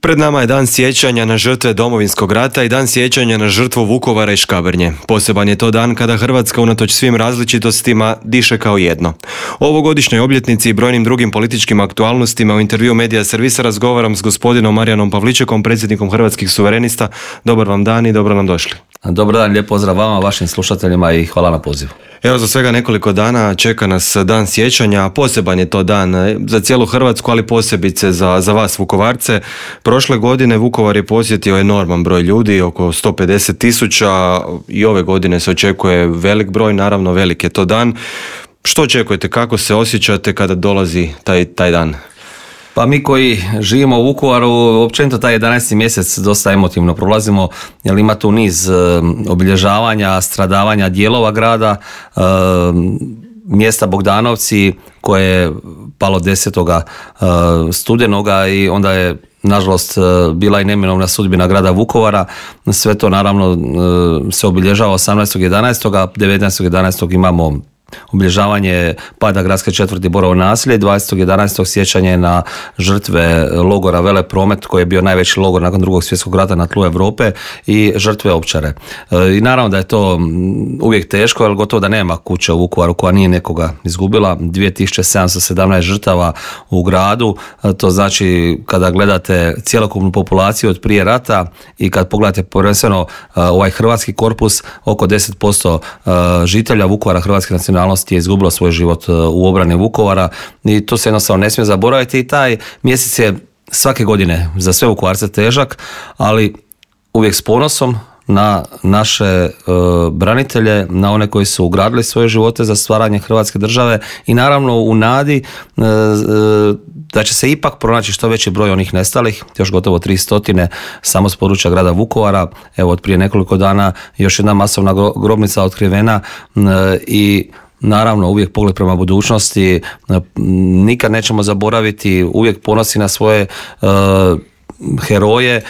Pred nama je dan sjećanja na žrtve Domovinskog rata i dan sjećanja na žrtvu Vukovara i Škabrnje. Poseban je to dan kada Hrvatska unatoč svim različitostima diše kao jedno. O ovogodišnjoj obljetnici i brojnim drugim političkim aktualnostima u intervju Medija Servisa razgovaram s gospodinom Marijanom Pavličekom, predsjednikom Hrvatskih suverenista. Dobar vam dan i dobro nam došli. Dobar dan, lijep pozdrav vama, vašim slušateljima i hvala na pozivu. Evo, za svega nekoliko dana čeka nas dan sjećanja, a poseban je to dan za cijelu Hrvatsku, ali posebice za vas Vukovarce. Prošle godine Vukovar je posjetio enorman broj ljudi, oko 150.000, i ove godine se očekuje velik broj, naravno velik je to dan. Što očekujete, kako se osjećate kada dolazi taj dan? Pa mi koji živimo u Vukovaru, općenito taj 11. mjesec dosta emotivno prolazimo, jer ima tu niz obilježavanja, stradavanja dijelova grada, mjesta Bogdanovci koje je palo 10. studenoga i onda je nažalost bila i neminovna sudbina grada Vukovara. Sve to naravno se obilježava 18.11., a 19.11. imamo obilježavanje pada gradske četvrti Borovo naselje, 20.11. sjećanje na žrtve logora Velepromet koji je bio najveći logor nakon Drugog svjetskog rata na tlu Europe i žrtve Ovčare. I naravno da je to uvijek teško, jer gotovo da nema kuće u Vukovaru koja nije nekoga izgubila. 2717 žrtava u gradu, to znači kada gledate cjelokupnu populaciju od prije rata i kad pogledate prvenstveno ovaj hrvatski korpus, oko 10% žitelja Vukovara hrvatske nacionalnosti je izgubilo svoj život u obrani Vukovara i to se jednostavno ne smije zaboraviti i taj mjesec je svake godine za sve Vukovarce težak, ali uvijek s ponosom na naše branitelje, na one koji su ugradili svoje živote za stvaranje Hrvatske države i naravno u nadi da će se ipak pronaći što veći broj onih nestalih, još gotovo 300 samo s područja grada Vukovara. Evo, od prije nekoliko dana još jedna masovna grobnica otkrivena i naravno uvijek pogled prema budućnosti, nikad nećemo zaboraviti, uvijek ponosi na svoje heroje,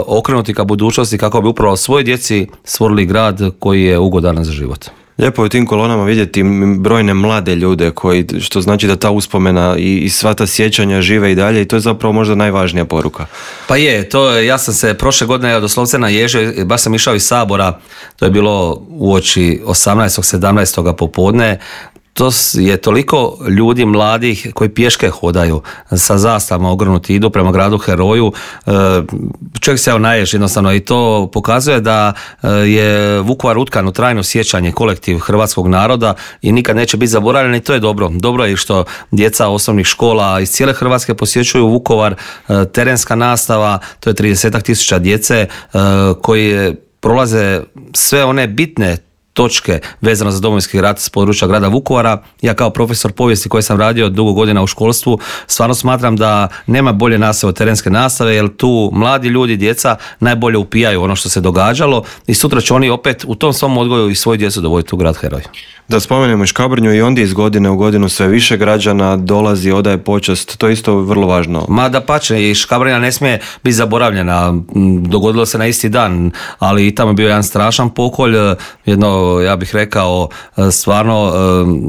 okrenuti ka budućnosti kako bi upravo svoj djeci stvorili grad koji je ugodan za život. Lijepo je u tim kolonama vidjeti brojne mlade ljude što znači da ta uspomena i sva ta sjećanja žive i dalje i to je zapravo možda najvažnija poruka. Pa ja sam se prošle godine doslovce naježio, baš sam išao iz Sabora, to je bilo uoči 18. 17. popodne. To je toliko ljudi mladih koji pješke hodaju sa zastavama ogrnuti, idu prema gradu heroju. Čovjek se naježi jednostavno i to pokazuje da je Vukovar utkan u trajno sjećanje, kolektiv hrvatskog naroda i nikad neće biti zaboravljen i to je dobro. Dobro je što djeca osnovnih škola iz cijele Hrvatske posjećuju Vukovar, terenska nastava, to je 30.000 djece koji prolaze sve one bitne točke vezano za Domovinski rat s područja grada Vukovara. Ja kao profesor povijesti koji sam radio dugo godina u školstvu stvarno smatram da nema bolje nastave od terenske nastave, jer tu mladi ljudi, djeca najbolje upijaju ono što se događalo i sutra će oni opet u tom svom odgoju i svoju djecu dovoditi u grad heroj. Da spomenemo i Škabrnju, i ondje iz godine u godinu sve više građana dolazi, odaje počast, to je isto vrlo važno. Ma dapače, i Škabrnja ne smije biti zaboravljena, dogodilo se na isti dan, ali i tamo je bio jedan strašan pokolj, jedno, ja bih rekao, stvarno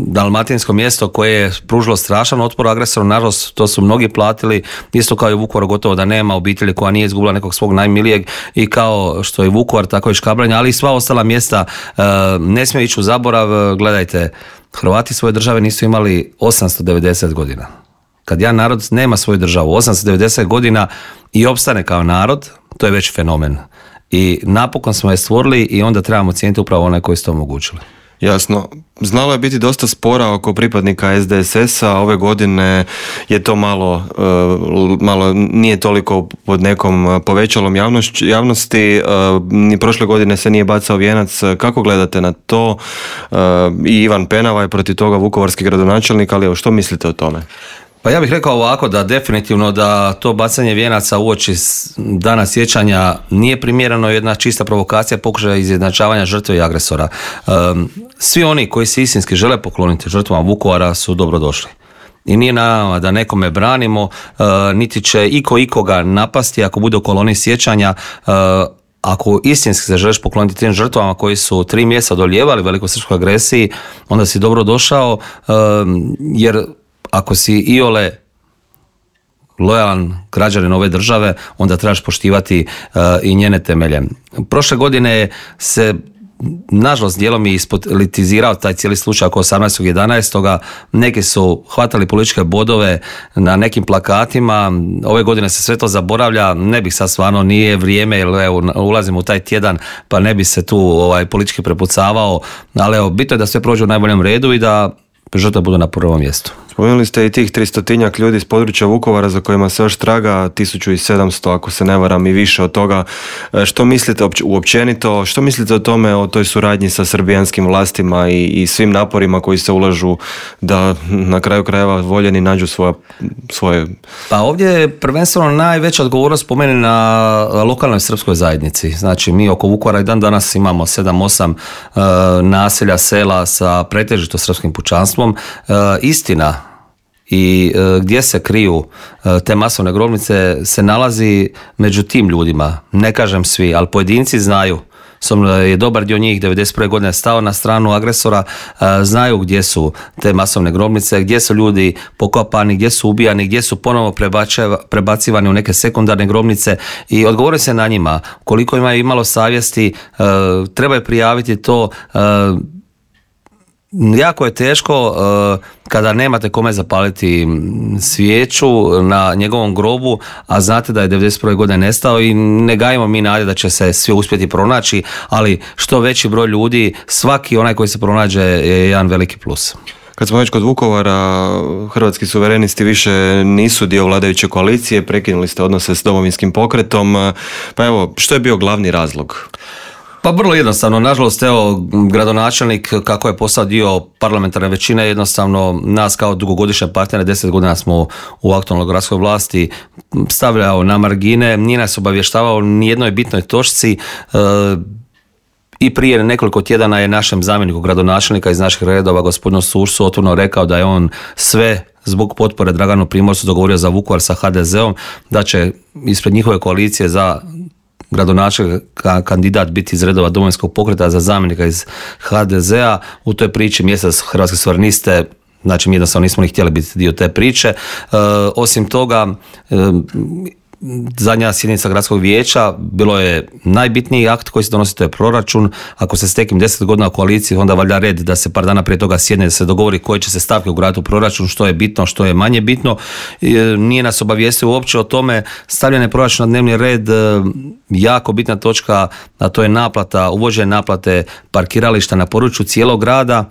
dalmatinsko mjesto koje je pružilo strašan otpor agresoru, nažalost to su mnogi platili, isto kao i Vukovar, gotovo da nema obitelji koja nije izgubila nekog svog najmilijeg i kao što je Vukovar, tako i Škabrnja, ali i sva ostala mjesta ne smije ići u zaborav. Gledajte, Hrvati svoje države nisu imali 890 godina. Kad jedan narod nema svoju državu 890 godina i opstane kao narod, to je već fenomen. I napokon smo je stvorili i onda trebamo cijeniti upravo one koji su to omogućili. Jasno. Znalo je biti dosta spora oko pripadnika SDSS-a, ove godine je to malo nije toliko pod nekom povećalom javnosti, ni prošle godine se nije bacao vijenac. Kako gledate na to? I Ivan Penava je protiv toga vukovarski gradonačelnik, ali što mislite o tome? Pa ja bih rekao ovako da definitivno da to bacanje vijenaca uoči dana sjećanja nije primjereno, jedna čista provokacija, pokušaj izjednačavanja žrtve i agresora. Svi oni koji se istinski žele pokloniti žrtvama Vukovara su dobrodošli. I nije nama da nekome branimo, niti će ikoga napasti ako bude u koloni sjećanja. Ako istinski se želiš pokloniti tim žrtvama koji su 3 mjeseca odolijevali velikosrpskoj agresiji, onda si dobro došao, jer ako si iole lojalan građanin ove države, onda trebaš poštivati i njene temelje. Prošle godine se nažalost dijelom je ispolitizirao taj cijeli slučaj oko 18.11. Neki su hvatali političke bodove na nekim plakatima, ove godine se sve to zaboravlja, ne bih sad stvarno, nije vrijeme jer evo, ulazimo u taj tjedan pa ne bi se tu politički prepucavao, ali evo, bitno je da sve prođe u najboljem redu i da žrtve budu na prvom mjestu. Spomenuli ste i tih 300-tinjak ljudi iz područja Vukovara za kojima se još traga, 1700 ako se ne varam i više od toga. Što mislite uopćenito, što mislite o tome, o toj suradnji sa srbijanskim vlastima i svim naporima koji se ulažu da na kraju krajeva voljeni nađu svoje... Pa ovdje je prvenstveno najveća odgovornost po meni na lokalnoj srpskoj zajednici. Znači mi oko Vukovara i dan danas imamo 7-8 naselja, sela sa pretežito srpskim pučanstvom. Istina i gdje se kriju te masovne grobnice se nalazi među tim ljudima. Ne kažem svi, ali pojedinci znaju. Je dobar dio njih 1991. godine stao na stranu agresora, znaju gdje su te masovne grobnice, gdje su ljudi pokopani, gdje su ubijani, gdje su ponovo prebacivani u neke sekundarne grobnice i odgovori se na njima. Koliko imaju imalo savjesti, trebaju prijaviti to. Jako je teško kada nemate kome zapaliti svijeću na njegovom grobu, a znate da je 1991. godine nestao i ne gajimo mi nade da će se svi uspjeti pronaći, ali što veći broj ljudi, svaki onaj koji se pronađe je jedan veliki plus. Kad smo već kod Vukovara, Hrvatski suverenisti više nisu dio vladajuće koalicije, prekinuli ste odnose s Domovinskim pokretom, pa evo, što je bio glavni razlog? Pa vrlo jednostavno, nažalost, evo, gradonačelnik kako je postao dio parlamentarne većine, jednostavno nas kao dugogodišnje partnere, 10 godina smo u aktualnoj gradskoj vlasti, stavljao na margine, nije nas obavještavao ni jednoj bitnoj točci. I prije nekoliko tjedana je našem zamjeniku gradonačelnika iz naših redova, gospodinu Sušcu, otvoreno rekao da je on sve zbog potpore Draganu Primorcu dogovorio za Vukovar sa HDZ-om, da će ispred njihove koalicije za gradonačelnika kandidat biti iz redova Domovinskog pokreta, za zamjenika iz HDZ-a. U toj priči mjesta Hrvatske suvereniste, znači mi jednostavno nismo ni htjeli biti dio te priče. Osim toga, zadnja sjednica gradskog vijeća bilo je najbitniji akt koji se donosi, to je proračun. Ako se stekim 10 godina u koaliciji, onda valjda red da se par dana prije toga sjedne, da se dogovori koje će se stavke ugraditi u proračun, što je bitno, što je manje bitno. Nije nas obavijestio uopće o tome. Stavljanje proračuna na dnevni red, jako bitna točka, a to je naplata, uvođenje naplate parkirališta na području cijelog grada,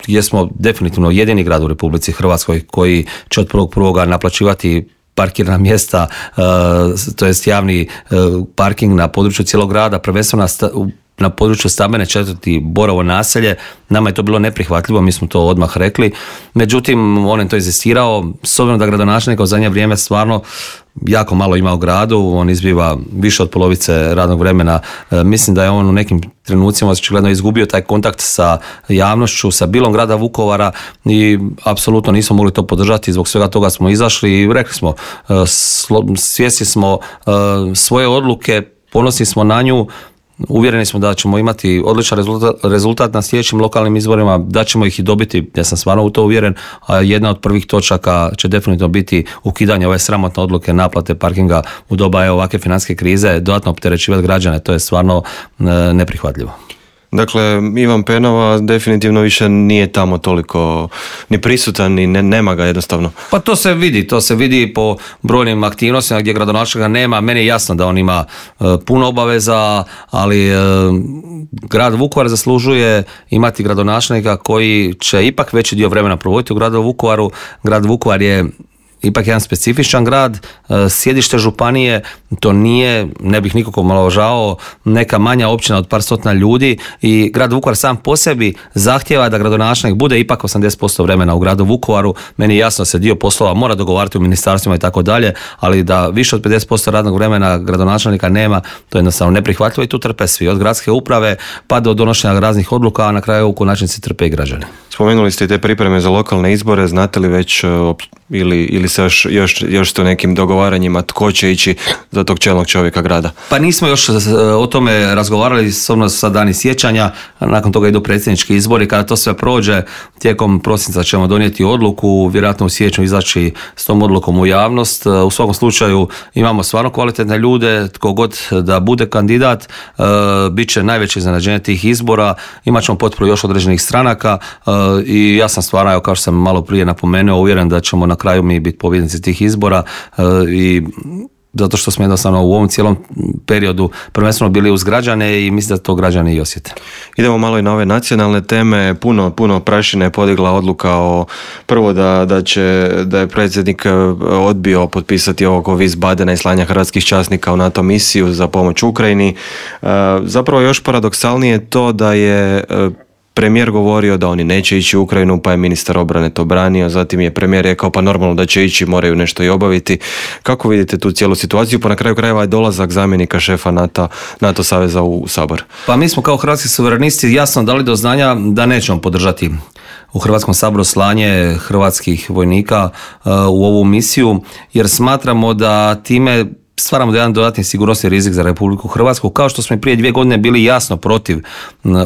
gdje smo definitivno jedini grad u Republici Hrvatskoj koji će od 1.1. naplaćivati parkirna mjesta, to jest javni parking na području cijelog grada, prvenstveno na području stambene četvrti Borovo naselje. Nama je to bilo neprihvatljivo, mi smo to odmah rekli. Međutim, on je to inzistirao, s obzirom da gradonačelnik u zadnje vrijeme stvarno jako malo ima u gradu, on izbiva više od polovice radnog vremena. Mislim da je on u nekim trenucima očigledno izgubio taj kontakt sa javnošću, sa bilom grada Vukovara i apsolutno nismo mogli to podržati. Zbog svega toga smo izašli i rekli smo, svjesni smo svoje odluke, ponosni smo na nju. Uvjereni smo da ćemo imati odličan rezultat na sljedećim lokalnim izborima, da ćemo ih i dobiti, ja sam stvarno u to uvjeren, a jedna od prvih točaka će definitivno biti ukidanje ove sramotne odluke naplate parkinga u doba ovakve financijske krize, dodatno opterećivati građane, to je stvarno neprihvatljivo. Dakle, Ivan Penava definitivno više nije tamo toliko ni prisutan, ni nema ga jednostavno. Pa to se vidi po brojnim aktivnostima gdje gradonačelnika nema. Meni je jasno da on ima puno obaveza, ali grad Vukovar zaslužuje imati gradonačelnika koji će ipak veći dio vremena provoditi u gradu Vukovaru. Grad Vukovar je ipak jedan specifičan grad, sjedište županije, to nije, ne bih nikako omalovažavao, neka manja općina od par stotina ljudi i grad Vukovar sam po sebi zahtijeva da gradonačelnik bude ipak 80% vremena u gradu Vukovaru. Meni je jasno da se dio poslova mora dogovarati u ministarstvima i tako dalje, ali da više od 50% radnog vremena gradonačelnika nema, to je jednostavno neprihvatljivo i tu trpe svi, od gradske uprave pa do donošenja raznih odluka, a na kraju u konačnici trpe i građani. Spomenuli ste i te pripreme za lokalne izbore, znate li već ili se još ste u nekim dogovaranjima tko će ići za tog čelnog čovjeka grada? Pa nismo još o tome razgovarali, osobno sa dani sjećanja, nakon toga idu predsjednički izbori, kada to sve prođe, tijekom prosinca ćemo donijeti odluku, vjerojatno u siječnju izaći s tom odlukom u javnost. U svakom slučaju imamo stvarno kvalitetne ljude, tko god da bude kandidat, bit će najveće iznenađenje tih izbora, imat ćemo potporu još određenih stranaka i ja sam stvarno, kao što sam malo prije napomenuo, uvjeren da ćemo na kraju mi biti pobjednici tih izbora i zato što smo jednostavno u ovom cijelom periodu prvenstveno bili uz građane i mislim da to građani i osjete. Idemo malo i na ove nacionalne teme. Puno prašine je podigla odluka o prvo da je predsjednik odbio potpisati ovog Wiesbadena i slanja hrvatskih časnika u NATO misiju za pomoć Ukrajini. Zapravo još paradoksalnije to da je premijer govorio da oni neće ići u Ukrajinu, pa je ministar obrane to branio, zatim je premijer rekao pa normalno da će ići, moraju nešto i obaviti. Kako vidite tu cijelu situaciju? Pa na kraju krajeva je dolazak zamjenika šefa NATO saveza u Sabor. Pa mi smo kao hrvatski suverenisti jasno dali do znanja da nećemo podržati u Hrvatskom saboru slanje hrvatskih vojnika u ovu misiju, jer smatramo da time stvaramo jedan dodatni sigurnosni rizik za Republiku Hrvatsku, kao što smo i prije 2 godine bili jasno protiv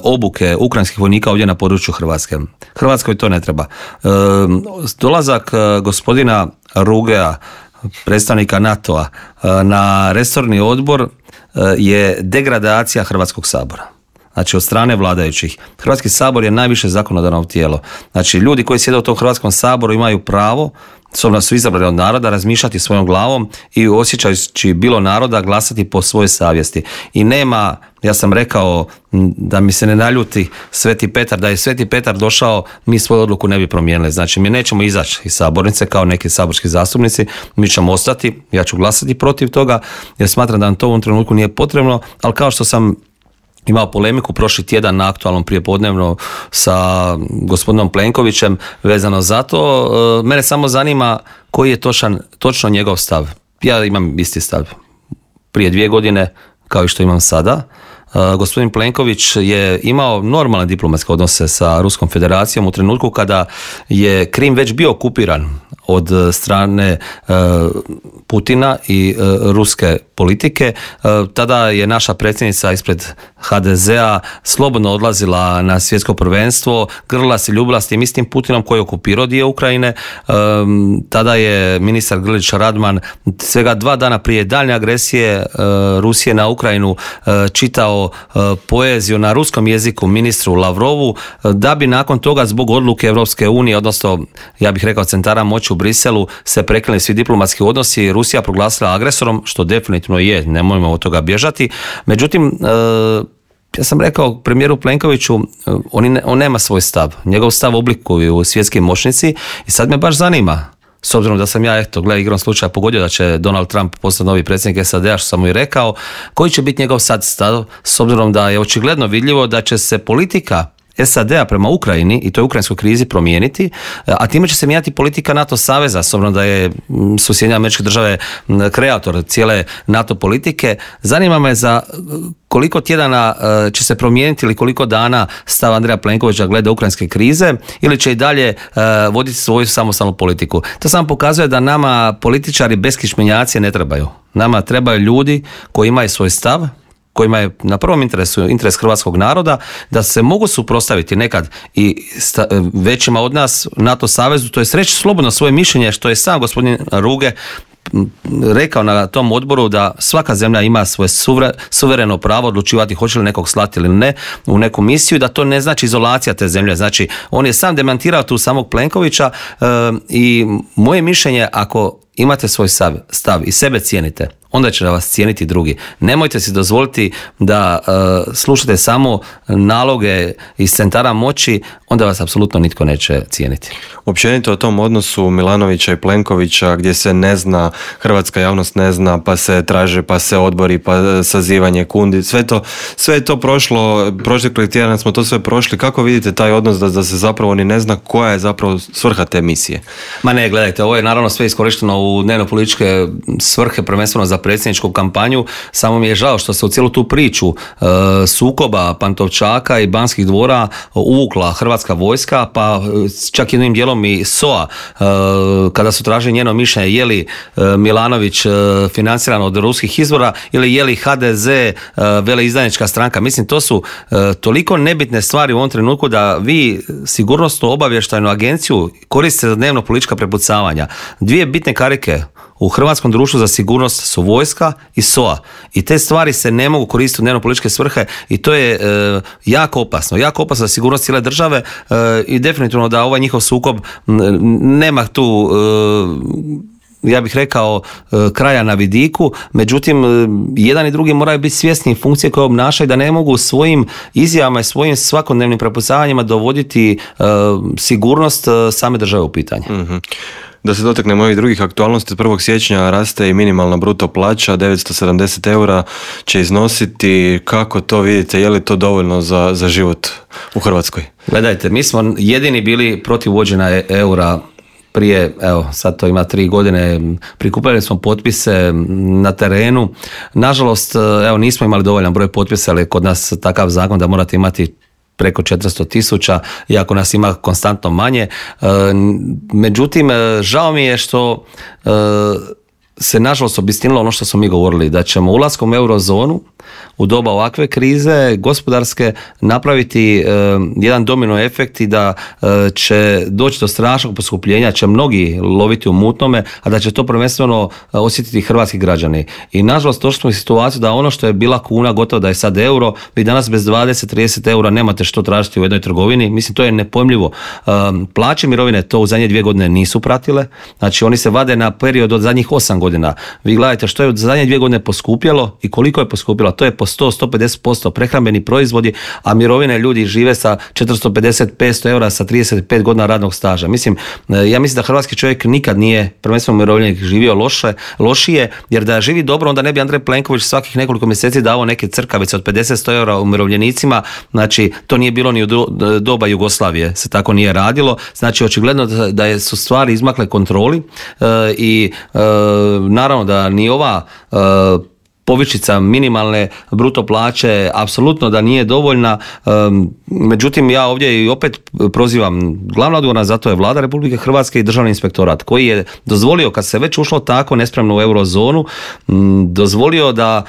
obuke ukrajinskih vojnika ovdje na području Hrvatske. Hrvatskoj to ne treba. Dolazak gospodina Rugea, predstavnika NATO-a, na resorni odbor je degradacija Hrvatskog sabora. Znači od strane vladajućih. Hrvatski sabor je najviše zakonodavno tijelo. Znači ljudi koji sjede u tom Hrvatskom saboru imaju pravo, s obzirom da su izabrani od naroda, razmišljati svojom glavom i osjećajući bilo naroda glasati po svojoj savjesti. I nema, ja sam rekao da mi se ne naljuti Sveti Petar, da je Sveti Petar došao, mi svoju odluku ne bi promijenili. Znači mi nećemo izaći iz sabornice kao neki saborski zastupnici, mi ćemo ostati, ja ću glasati protiv toga jer smatram da nam to u ovom trenutku nije potrebno, ali kao što sam imao polemiku prošli tjedan na aktualnom prijepodnevno sa gospodinom Plenkovićem vezano za to. Mene samo zanima koji je točno njegov stav. Ja imam isti stav prije 2 godine kao i što imam sada. Gospodin Plenković je imao normalne diplomatske odnose sa Ruskom federacijom u trenutku kada je Krim već bio okupiran od strane Putina i ruske politike. Tada je naša predsjednica ispred HDZ-a slobodno odlazila na svjetsko prvenstvo, grlila se, ljubila s tim istim Putinom koji je okupirao dio Ukrajine. Tada je ministar Grlić Radman svega 2 dana prije daljnje agresije Rusije na Ukrajinu čitao poeziju na ruskom jeziku ministru Lavrovu, da bi nakon toga zbog odluke Europske unije, odnosno ja bih rekao centara moći u Briselu, se prekinuli svi diplomatski odnosi, Rusija proglasila agresorom, što definitivno je, nemojmo od toga bježati. Međutim, ja sam rekao premijeru Plenkoviću, on nema svoj stav, njegov stav oblikuju svjetski moćnici i sad me baš zanima, s obzirom da sam ja, igrom slučaja pogodio da će Donald Trump postati novi predsjednik SAD-a, što sam mu i rekao, koji će biti njegov sad stav, s obzirom da je očigledno vidljivo da će se politika SAD-a prema Ukrajini i toj ukrajinskoj krizi promijeniti, a time će se mijenjati politika NATO saveza, s obzirom da su Sjedinjene Američke Države kreator cijele NATO politike. Zanima me za koliko tjedana će se promijeniti ili koliko dana stav Andreja Plenkovića glede ukrajinske krize ili će i dalje voditi svoju samostalnu politiku. To samo pokazuje da nama političari beskičmenjaci ne trebaju. Nama trebaju ljudi koji imaju svoj stav, kojima je na prvom interesu interes hrvatskog naroda, da se mogu suprotstaviti nekad i većima od nas NATO savezu, to je reći slobodno svoje mišljenje, što je sam gospodin Ruge rekao na tom odboru, da svaka zemlja ima svoje suvereno pravo odlučivati hoće li nekog slati ili ne u neku misiju, da to ne znači izolacija te zemlje. Znači, on je sam demantirao tu samog Plenkovića i moje mišljenje, ako imate svoj stav i sebe cijenite, onda će vas cijeniti drugi. Nemojte si dozvoliti da slušate samo naloge iz centara moći, onda vas apsolutno nitko neće cijeniti. Općenito o tom odnosu Milanovića i Plenkovića, gdje se ne zna, hrvatska javnost ne zna, pa se traže, pa se odbori, pa sazivanje kundi, sve je to prošlo, prošli tjedan smo to sve prošli. Kako vidite taj odnos da se zapravo ni ne zna koja je zapravo svrha te misije? Ma ne, gledajte, ovo je naravno sve iskorišteno u dnevno političke svrhe, prvenstveno za za predsjedničku kampanju. Samo mi je žao što se u cijelu tu priču sukoba Pantovčaka i Banskih dvora uvukla Hrvatska vojska, pa čak jednim dijelom i SOA, kada su tražili njeno mišljenje je li Milanović financiran od ruskih izvora ili je li HDZ veleizdajnička stranka. Mislim, to su toliko nebitne stvari u ovom trenutku da vi sigurnosnu obavještajnu agenciju koristite za dnevno politička prepucavanja. Dvije bitne karike u Hrvatskom društvu za sigurnost su vojska i SOA. I te stvari se ne mogu koristiti u dnevno političke svrhe i to je jako opasno. Jako opasno za sigurnost cijele države i definitivno da ovaj njihov sukob nema tu ja bih rekao kraja na vidiku, međutim jedan i drugi moraju biti svjesni funkcije koje obnašaju, da ne mogu svojim izjavama i svojim svakodnevnim prepucavanjima dovoditi sigurnost same države u pitanje. Mm-hmm. Da se dotaknemo ovih drugih aktualnosti, od 1. siječnja raste i minimalna bruto plaća, 970 eura će iznositi. Kako to vidite, je li to dovoljno za život u Hrvatskoj? Gledajte, mi smo jedini bili protiv uvođenja eura prije, evo sad to ima 3 godine, prikupljali smo potpise na terenu. Nažalost, evo nismo imali dovoljan broj potpisa, ali kod nas takav zakon da morate imati preko 400.000, iako nas ima konstantno manje. Međutim, žao mi je što se nažalost obistinilo ono što smo mi govorili, da ćemo ulaskom u eurozonu u doba ovakve krize gospodarske napraviti jedan domino efekt i da će doći do strašnog poskupljenja, će mnogi loviti u mutnome, a da će to prvenstveno osjetiti hrvatski građani. I nažalost došli smo u situaciju da ono što je bila kuna gotovo da je sad euro, vi danas bez 20-30 eura nemate što tražiti u jednoj trgovini. Mislim, to je nepojmljivo. Plaće mirovine to u zadnje 2 godine nisu pratile, znači oni se vade na period od zadnjih 8 godina. Vi gledajte što je od zadnje 2 godine poskupjelo i koliko je poskupjelo. To je po 100-150% prehrambeni proizvodi, a mirovine ljudi žive sa 450-500 eura sa 35 godina radnog staža. Mislim, ja mislim da hrvatski čovjek nikad nije prvenstveno umirovljenik živio lošije, jer da živi dobro, onda ne bi Andrej Plenković svakih nekoliko mjeseci davao neke crkavice od 50-100 eura umirovljenicima. Znači, to nije bilo ni u doba Jugoslavije, se tako nije radilo. Znači, očigledno da su stvari izmakle kontroli i naravno da ni ova povišica minimalne bruto plaće apsolutno da nije dovoljna. Međutim, ja ovdje i opet prozivam, glavna odgovorna za to je Vlada Republike Hrvatske i Državni inspektorat koji je dozvolio, kad se već ušlo tako nespremno u eurozonu, dozvolio da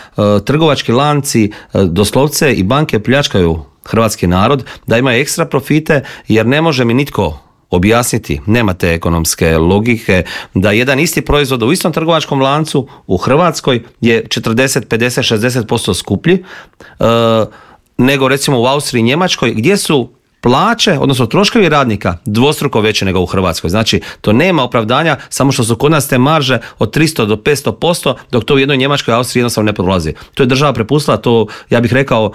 trgovački lanci doslovce i banke pljačkaju hrvatski narod, da imaju ekstra profite, jer ne može mi nitko objasniti, nema te ekonomske logike, da jedan isti proizvod u istom trgovačkom lancu u Hrvatskoj je 40, 50, 60% skuplji nego recimo u Austriji i Njemačkoj, gdje su plaće, odnosno troškovi radnika dvostruko veće nego u Hrvatskoj. Znači, to nema opravdanja, samo što su kod nas te marže od 300 do 500%, dok to u jednoj Njemačkoj i Austriji jednostavno ne prolazi. To je država prepustila, to ja bih rekao,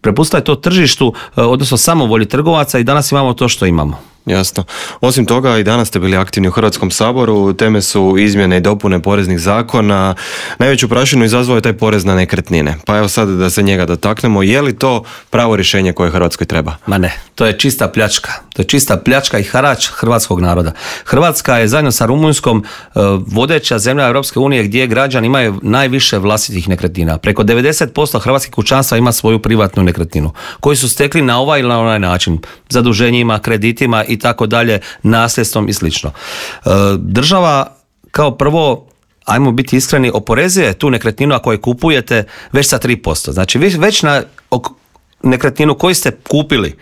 prepustila je to tržištu, odnosno samovolji trgovaca i danas imamo to što imamo. Jasno. Osim toga, i danas ste bili aktivni u Hrvatskom saboru, teme su izmjene i dopune poreznih zakona. Najveću prašinu izazvao je taj porez na nekretnine. Pa evo sad da se njega dotaknemo, je li to pravo rješenje koje Hrvatskoj treba? Ma ne, to je čista pljačka. To je čista pljačka i harač hrvatskog naroda. Hrvatska je zajedno sa Rumunjskom vodeća zemlja Europske unije gdje građani imaju najviše vlastitih nekretnina. Preko 90% hrvatskih kućanstva ima svoju privatnu nekretninu koju su stekli na ovaj ili na onaj način, zaduženjima, kreditima i tako dalje, nasljedstvom i slično. Država kao prvo, ajmo biti iskreni, oporezuje tu nekretninu ako je kupujete već sa 3%. Znači vi već na nekretninu koju ste kupili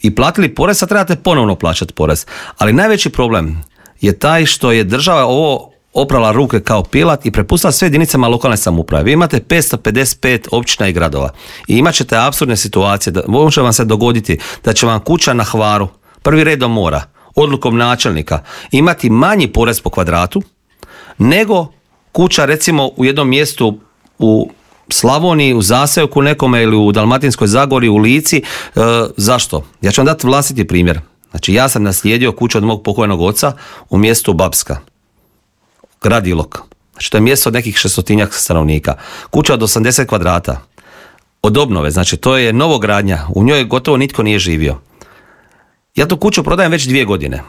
i platili porez, sad trebate ponovno plaćati porez. Ali najveći problem je taj što je država ovo oprala ruke kao pilat i prepustila sve jedinicama lokalne samouprave. Vi imate 555 općina i gradova i imat ćete apsurdne situacije. Može vam se dogoditi da će vam kuća na Hvaru, prvi redom mora, odlukom načelnika, imati manji porez po kvadratu nego kuća recimo u jednom mjestu u Slavoniji, u zaseoku nekome ili u Dalmatinskoj Zagori, u Lici. Zašto? Ja ću vam dati vlastiti primjer. Znači, ja sam naslijedio kuću od mog pokojnog oca u mjestu Babska, grad Ilok. Znači, to je mjesto od nekih 600 stanovnika. Kuća od 80 kvadrata. Od obnove, znači to je novogradnja. U njoj gotovo nitko nije živio. Ja tu kuću prodajem već 2 godine.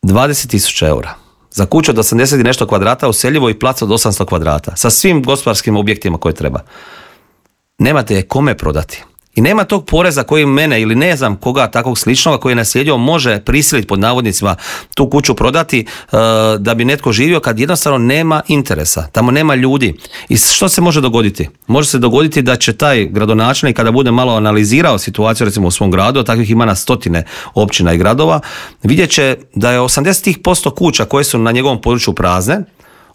20.000 eura. za kuću od 80 i nešto kvadrata useljivo i plac od 800 kvadrata sa svim gospodarskim objektima koje treba. Nemate je kome prodati. I nema tog poreza koji mene ili ne znam koga takvog sličnoga koji je naslijedio može prisiliti pod navodnicima tu kuću prodati da bi netko živio kad jednostavno nema interesa, tamo nema ljudi. I što se može dogoditi? Može se dogoditi da će taj gradonačelnik kada bude malo analizirao situaciju recimo u svom gradu, a takvih ima na stotine općina i gradova, vidjet će da je 80% kuća koje su na njegovom području prazne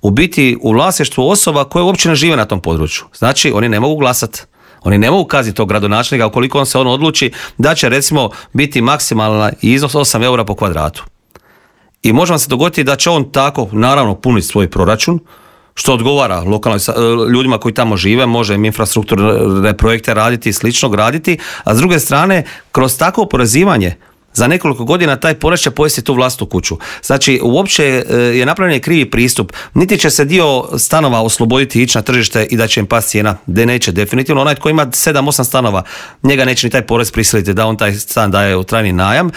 u biti u vlasništvu osoba koje uopće ne žive na tom području. Znači oni ne mogu glasati. Oni ne mogu kazniti tog gradonačelnika ukoliko on se odluči da će recimo biti maksimalan iznos 8 eura po kvadratu. I može vam se dogoditi da će on tako naravno puniti svoj proračun, što odgovara ljudima koji tamo žive, može im infrastrukturne projekte raditi i slično graditi, a s druge strane kroz takvo oporezivanje za nekoliko godina taj porez će pojesti tu vlastitu kuću. Znači, uopće je napravljen krivi pristup. Niti će se dio stanova osloboditi i ići na tržište i da će im pasti cijena. De neće, definitivno. Onaj tko ima 7-8 stanova, njega neće ni taj porez prisiliti da on taj stan daje u trajni najam.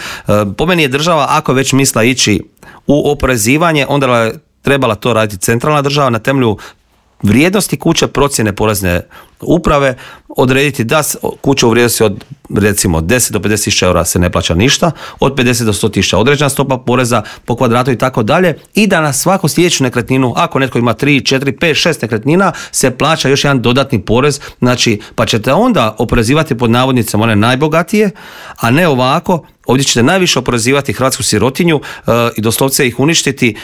Po meni je država, ako već misla ići u oporezivanje, onda je trebala to raditi centralna država na temelju vrijednosti kuće, procjene porezne uprave, odrediti da kuća u vrijednosti od recimo 10 do 50 tisuća eura se ne plaća ništa, od 50 do 100 tisuća određena stopa poreza po kvadratu i tako dalje, i da na svaku sljedeću nekretninu, ako netko ima 3, 4, 5, 6 nekretnina, se plaća još jedan dodatni porez, znači pa ćete onda oporezivati pod navodnicama one najbogatije, a ne ovako, ovdje ćete najviše oporezivati hrvatsku sirotinju i doslovce ih uništiti,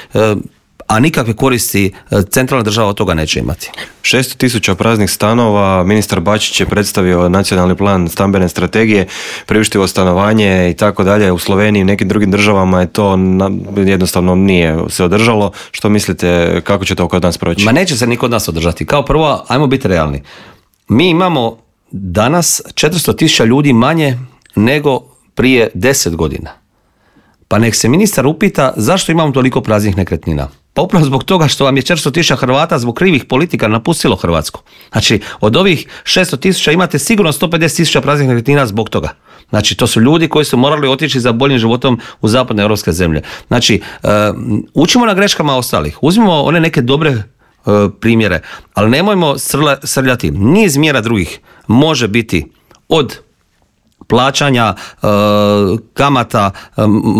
a nikakve koristi centralna država od toga neće imati. 600.000 praznih stanova, ministar Bačić je predstavio nacionalni plan stambene strategije, priuštivo stanovanje i tako dalje. U Sloveniji i nekim drugim državama je to jednostavno nije se održalo. Što mislite, kako će to kod nas proći? Ma neće se ni kod nas održati. Kao prvo, ajmo biti realni. Mi imamo danas 400.000 ljudi manje nego prije 10 godina. Pa nek se ministar upita zašto imamo toliko praznih nekretnina. Pa upravo zbog toga što vam je 400.000 Hrvata zbog krivih politika napustilo Hrvatsku. Znači, od ovih 600.000 imate sigurno 150.000 praznih nekretnina zbog toga. Znači, to su ljudi koji su morali otići za boljim životom u zapadne europske zemlje. Znači, učimo na greškama ostalih. Uzmimo one neke dobre primjere, ali nemojmo srljati. Niz mjera drugih može biti od plaćanja kamata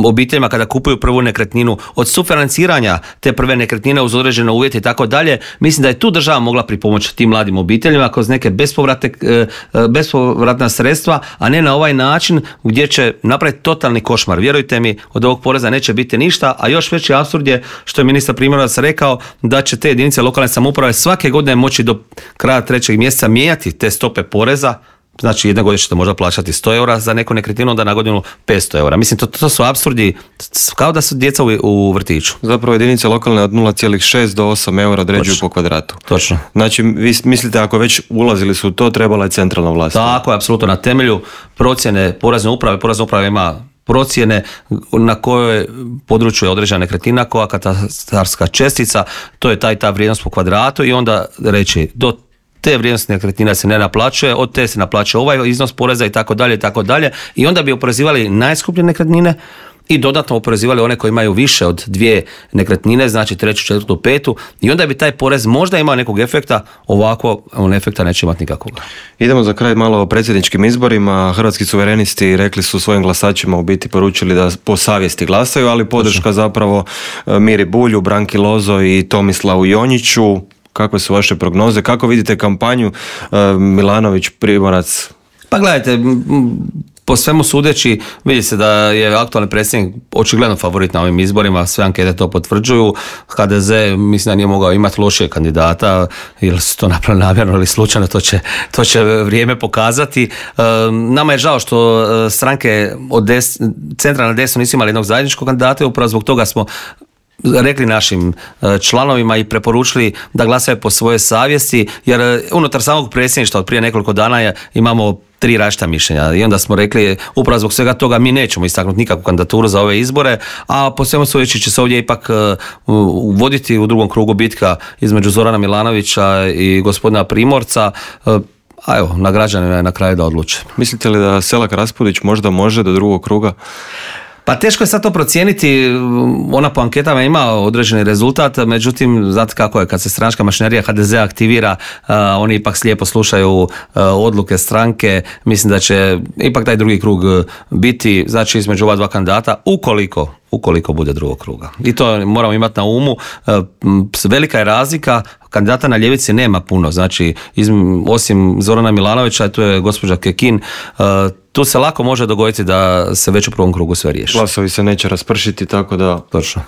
obiteljima kada kupuju prvu nekretninu, od sufinanciranja te prve nekretnine uz određene uvjete i tako dalje. Mislim da je tu država mogla pripomoći tim mladim obiteljima kroz neke bespovratna sredstva, a ne na ovaj način gdje će napraviti totalni košmar. Vjerujte mi, od ovog poreza neće biti ništa, a još veći apsurd je što je ministar Primorac rekao da će te jedinice lokalne samouprave svake godine moći do kraja 3. mjeseca mijenjati te stope poreza. Znači, jedne godine ćete možda plaćati 100 eura za neku nekretninu, onda na godinu 500 eura. Mislim, to su apsurdi, kao da su djeca u vrtiću. Zapravo jedinice lokalne od 0,6 do 8 eura određuju po kvadratu. Točno. Znači, vi mislite ako već ulazili su u to, trebala je centralna vlast? Tako je, apsolutno. Na temelju procjene porezne uprave ima procjene na kojoj području je određena nekretnina, koja katastarska čestica, to je ta vrijednost po kvadratu, i onda reći do te vrijednosti nekretnina se ne naplaćuje, od te se naplaćuje ovaj iznos poreza i tako dalje i tako dalje, i onda bi oporezivali najskuplje nekretnine i dodatno oporezivali one koji imaju više od 2 nekretnine, znači 3., 4., 5. i onda bi taj porez možda imao nekog efekta, ovako on efekta neće imati nikakvog. Idemo za kraj malo o predsjedničkim izborima. Hrvatski suverenisti rekli su svojim glasačima, u biti poručili da po savjesti glasaju, ali podrška zapravo Miri Bulju, Branki Lozo i Tomislavu Jonjiću. Kakve su vaše prognoze? Kako vidite kampanju Milanović, Primorac? Pa gledajte, po svemu sudeći vidi se da je aktualni predsjednik očigledno favorit na ovim izborima, sve ankete to potvrđuju. HDZ mislim da nije mogao imati lošijeg kandidata, ili su to napravili namjerno ili slučajno, to će vrijeme pokazati. Nama je žao što stranke od centra na desno nisu imali jednog zajedničkog kandidata, upravo zbog toga smo rekli našim članovima i preporučili da glasaju po svojoj savjesti, jer unutar samog predsjedništva od prije nekoliko dana imamo 3 različita mišljenja, i onda smo rekli upravo zbog svega toga mi nećemo istaknuti nikakvu kandidaturu za ove izbore, a po svemu sudeći će se ovdje ipak voditi u drugom krugu bitka između Zorana Milanovića i gospodina Primorca, a evo, na građanima je na kraju da odluče. Mislite li da Selak Raspudić možda može do drugog kruga? Pa teško je sad to procijeniti, ona po anketama ima određeni rezultat, međutim, znate kako je, kad se stranačka mašinerija HDZ aktivira, oni ipak slijepo slušaju odluke stranke, mislim da će ipak taj drugi krug biti, znači između ova dva kandidata, ukoliko bude drugog kruga. I to moramo imati na umu, velika je razlika, kandidata na ljevici nema puno, znači osim Zorana Milanovića, tu je gospođa Kekin, tu se lako može dogoditi da se već u prvom krugu sve riješi. Glasovi se neće raspršiti, tako da... Točno.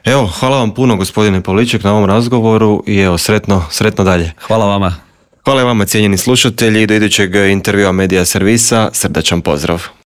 Evo, hvala vam puno gospodine Pavliček na ovom razgovoru i evo, sretno dalje. Hvala vama. Hvala i vama cijenjeni slušatelji, do idućeg intervjua Medija servisa, srdačan pozdrav.